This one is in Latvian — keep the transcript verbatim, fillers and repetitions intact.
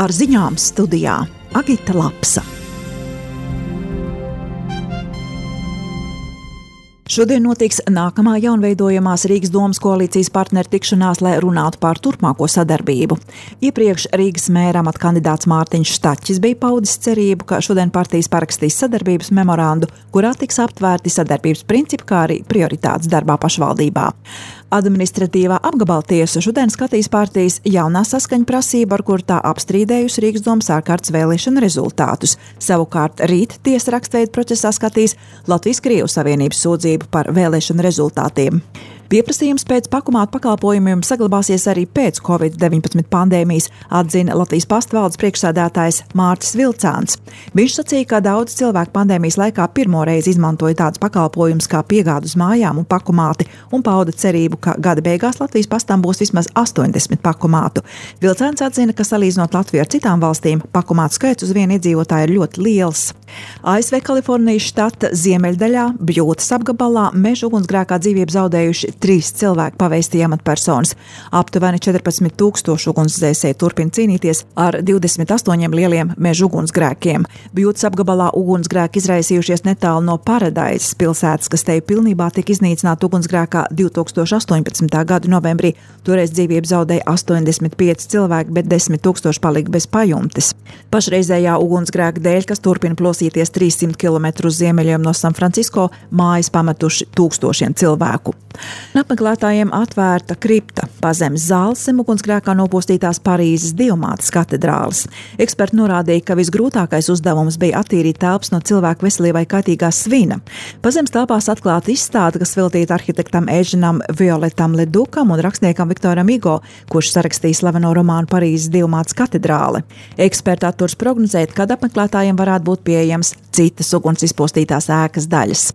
Ar ziņām studijā Agita Lapsa. Šodien notiks nākamā jaunveidojamās Rīgas domas koalīcijas partneru tikšanās, lai runātu par turpmāko sadarbību. Iepriekš Rīgas mēra amata kandidāts Mārtiņš Štaķis bija paudis cerību, ka šodien partijas parakstīs sadarbības memorandu, kurā tiks aptvērti sadarbības principi, kā arī prioritātes darbā pašvaldībā. Administratīvā apgabala tiesa šodien skatīs partijas jaunā saskaņa prasību, ar kur tā apstrīdējusi Rīgas domas ārkārtas vēlēšana rezultātus. Savukārt rīt tiesa rakstveidu procesā skatīs Latvijas-Krievu savienības sūdzību par vēlēšanu rezultātiem. Pieprasījums pēc pakomātu pakalpojumiem saglabāsies arī pēc covid deviņpadsmit pandēmijas, atzina Latvijas pastvaldes priekšsēdētājs Mārtis Vilcāns. Viņš sacīja, ka daudz cilvēku pandēmijas laikā pirmoreiz izmantoja tādus pakalpojumus kā piegādu uz mājām un pakomāti un pauda cerību, ka gada beigās Latvijas pastam būs vismaz astoņdesmit pakomātu. Vilcāns atzina, ka salīdzinot Latviju ar citām valstīm, pakomātu skaits uz vienu iedzīvotāju ir ļoti liels. A S V Kalifornijas štata ziemeļdaļā, Bļūtas apgabalā, meža ugunsgrēkā dzīvību zaudējuši trīs cilvēki paveistīja amatpersonas. Aptuveni četrpadsmit tūkstoši ugunsdzēsēji turpina cīnīties ar divdesmit astoņiem lieliem meža ugunsgrēkiem. Bļūtas apgabalā ugunsgrēki izraisījušies netālu no Paradaizes pilsētas, kas te pilnībā tika iznīcināta ugunsgrēkā divi tūkstoši astoņpadsmitā gada novembrī. Toreiz dzīvību zaudēja astoņdesmit pieci cilvēki, bet desmit tūkstoši palika bez pajumtes. Pašreizējā ugunsgrēka dēļ, kas turpina plosīties trīssimt kilometru uz ziemeļiem no San Francisco, mājas pametuši tūkstošiem cilvēku. Apmeklētājiem atvērta kripta pazemes zāles zem ugunsgrēkā nopostītās Parīzes Dievmātes katedrāles. Eksperti norādīja, ka visgrūtākais uzdevums bija attīrīt telpas no cilvēku veselībai kaitīgā svina. Pazemes telpās atklāta izstāde, kas veltīta arhitektam Eženam Violetam Ledukam un rakstniekam Viktoram Hugo, kurš sarakstīja slaveno romānu Parīzes Dievmātes katedrāle. Eksperti atturs prognozēt, kad apmeklētājiem varētu būt pieejams citas uguns izpostītās ēkas daļas.